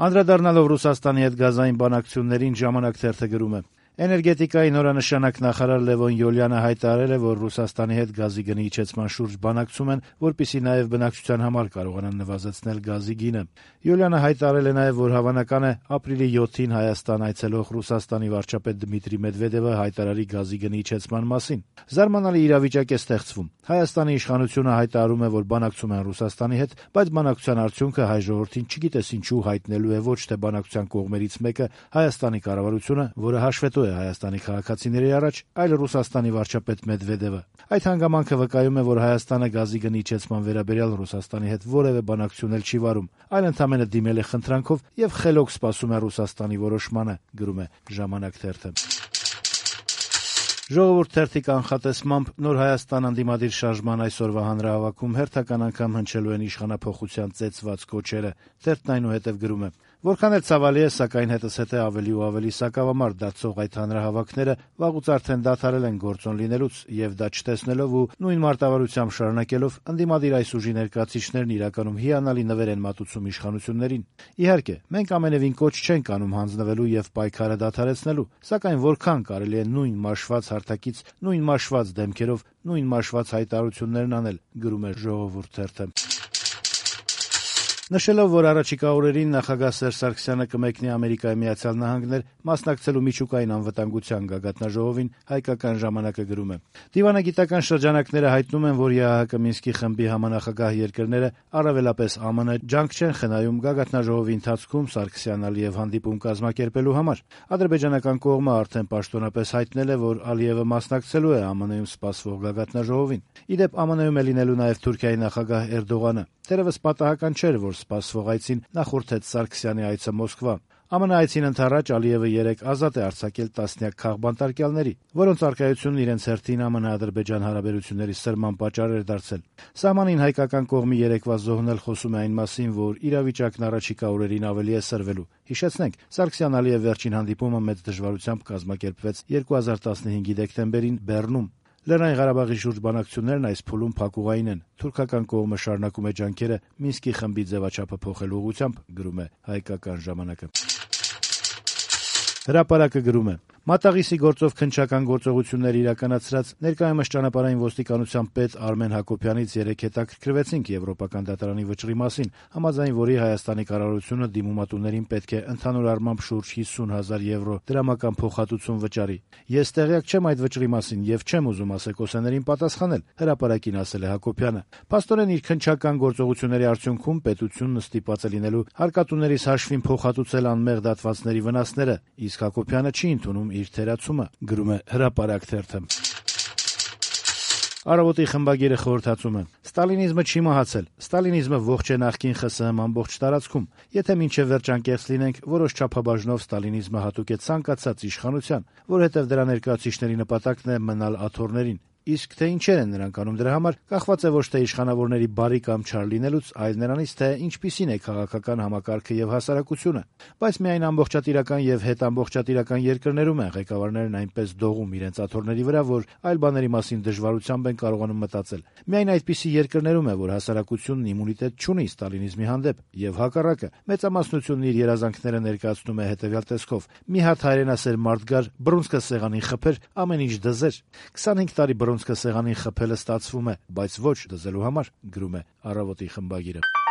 Անդրադառնալով Ռուսաստանի հետ գազային բանակցություններին «Ժամանակ» թերթը գրում է. Էներգետիկայի նորանշանակ նախարար Լևոն Յոլյանը հայտարարել է, որ Ռուսաստանի հետ գազի գնի իջեցման շուրջ բանակցում են, որպեսզի նաև բնակչության համար կարողանան նվազեցնել գազի գինը։ Յոլյանը հայտարարել է նաև, որ հավանական է ապրիլի 7-ին Հայաստան այցելող Ռուսաստանի վարչապետ Դմիտրի Մեդվեդևը հայտարարի գազի գնի իջեցման մասին։ Զարմանալի իրավիճակ է ստեղծվում։ Հայաստանի իշխանությունը հայտարարում է, որ բանակցում են Ռուսաստանի հետ, բայց բանակցության արդյունքը հայ ժողովրդին չգիտես ինչու հայտնելու է ոչ թե բանակցության կողմերից մեկը Հայաստանի կառավարությունը, որը հաշվետու է Հայաստանի քաղաքացիների առաջ, այլ Ռուսաստանի վարչապետ Մեդվեդևը։ Այդ հանգամանքը վկայում է, որ Հայաստանը գազի գնի իջեցման վերաբերյալ Ռուսաստանի հետ որևէ բանակցություն էլ չի վարում, այլ ընդամենը դիմել է խնդրանքով եւ խելոք սպասում է Ռուսաստանի որոշմանը, գրում է «Ժամանակ» թերթը։ «Ժողովուրդ» թերթի կանխատեսմամբ նոր Հայաստան ընդդիմադիր շարժման այսօրվա հանրահավաքում հերթական անգամ հնչելու են իշխանափոխության ծեծված կոչերը։ Թերթն այնուհետև գրում է. «Որքան էլ ցավալի է, սակայն հետզհետե ավելի ու ավելի սակավամարդ դարձող այդ հանրահավաքները վաղուց արդեն դադարել են գործոն լինելուց, եւ դա չտեսնելով ու նույն մարտավարությամբ շարունակելով ընդդիմադիր այս ուժի ներկայացուցիչներն իրականում հիանալի նվեր են մատուցում իշխանություններին։ Իհարկե, մենք ամենևին կոչ չենք անում հանձնվելու եւ պայքարը դադարեցնելու, սակայն որքան կարելի է նույն մաշված հարթակից, նույն մաշված դեմքերով, նույն մաշված հայտարարություններն անել», գրում է «Ժողովուրդ» թերթը։ Նշելով, որ առաջիկա օրերին նախագահ Սերժ Սարգսյանը կմեկնի Ամերիկայի Միացյալ Նահանգներ մասնակցելու միջուկային անվտանգության գագաթնաժողովին, հայկական ժամանակը գրում է. «Դիվանագիտական շրջանակները հայտնում են, որ ԵԱՀԿ Մինսկի խմբի համանախագահ երկրները, առավելապես ԱՄՆ, ջանք չեն խնայում գագաթնաժողովի ընթացքում Սարգսյան-Ալիև հանդիպում կազմակերպելու համար։ Ադրբեջանական կողմը արդեն պաշտոնապես հայտնել է, որ Ալիևը մասնակցելու է ԱՄՆ-ում սպասվող գագաթնաժողովին։ Ի դեպ, ԱՄՆ-ում է լինելու նաև Թուրքիայի նախագահ Էրդողանը։ Թերևս պատահական չէր, որ սպասվող այցին նախորդեց Սարգսյանի այցը Մոսկվա։ ԱՄՆ այցին ընդառաջ Ալիևը երեկ ազատ է արձակել տասնյակ քաղբանտարկյալների, որոնց առկայությունն իրենց հերթին ԱՄՆ-Ադրբեջան հարաբերությունների սրման պատճառ էր դարձել։ Սահմանին հայկական կողմի երեկվա զոհն էլ խոսում է այն մասին, որ իրավիճակն առաջիկա օրերին ավելի է սրվելու։ Հիշեցնենք, Սարգսյան-Ալիև վերջին հանդիպումը մեծ դժվարությամբ կազմակերպվեց 2015-ի դեկտեմբերին Բեռնում։ Լեռնային Ղարաբաղի շուրջ բանակցություններն այս փուլում փակուղային են։ Թուրքական կողմը շարունակում է ջանքերը Մինսկի խմբի ձևաչափը փոխելու ուղղությամբ, գրում է հայկական ժամանակը։ Հրապարակը գրում է. Մատաղիսի գործով քննչական գործողություններ իրականացրած ներկայումս ճանապարհային ոստիկանության պետ Արմեն Հակոբյանից երեկ հետաքրքրվեցինք Եվրոպական դատարանի վճռի մասին, համաձայն որի Հայաստանի կառավարությունը դիմումատուներին պետք է ընդհանուր առմամբ շուրջ 50,000 եվրո դրամական փոխհատուցում վճարի։ Ես տեղյակ չեմ այդ վճռի մասին եւ չեմ ուզում ասեկոսեներին պատասխանել, հրապարակին ասել է Հակոբյանը։ Փաստորեն իր քննչական գործողությունների արդյունքում պետությունն ստիպված է լինելու հարկատուներիս հաշվին փոխհատուցել անմեղ դատվածների վնասները, իսկ Հակոբյանը չի ընդունում իր թերացումը, գրում է Հրապարակ թերթը։ Առավոտի խմբագիրը խորհրդածում է. Ստալինիզմը չի մահացել։ Ստալինիզմը ողջ է նախկին ԽՍՀՄ ամբողջ տարածքում։ Եթե մինչև վերջ անկեղծ լինենք, որոշ չափաբաժնով ստալինիզմը հատուկ է ցանկացած իշխանության, որովհետև դրա ներկայացուցիչների նպատակն է մնալ աթոռներին։ Իսկ թե ինչեր են նրանք անում դրա համար, կախված է ոչ թե իշխանավորների բարի կամ չար լինելուց, այլ նրանից, թե ինչպիսին է քաղաքական համակարգը եւ հասարակությունը։ Բայց միայն ամբողջատիրական եւ հետամբողջատիրական երկրներում են ղեկավարներն այնպես դողում իրենց աթոռների վրա, որ այլ բաների մասին դժվարությամբ են կարողանում մտածել։ Միայն այդպիսի երկրներում է, որ հասարակությունն իմունիտետ չունի ստալինիզմի հանդեպ, եւ հակառակը, մեծամասնությունն իր երազանքները ներկայացնում է հետեւյալ տեսքով. մի հատ հայրենասեր մարդ գար, բռունցքը սեղանին խփեր, ամեն ինչ դզեր։ 25 տարի բռունցքը սեղանին խփելը ստացվում է, բայց ոչ դզելու համար, գրում է Առավոտի խմբագիրը։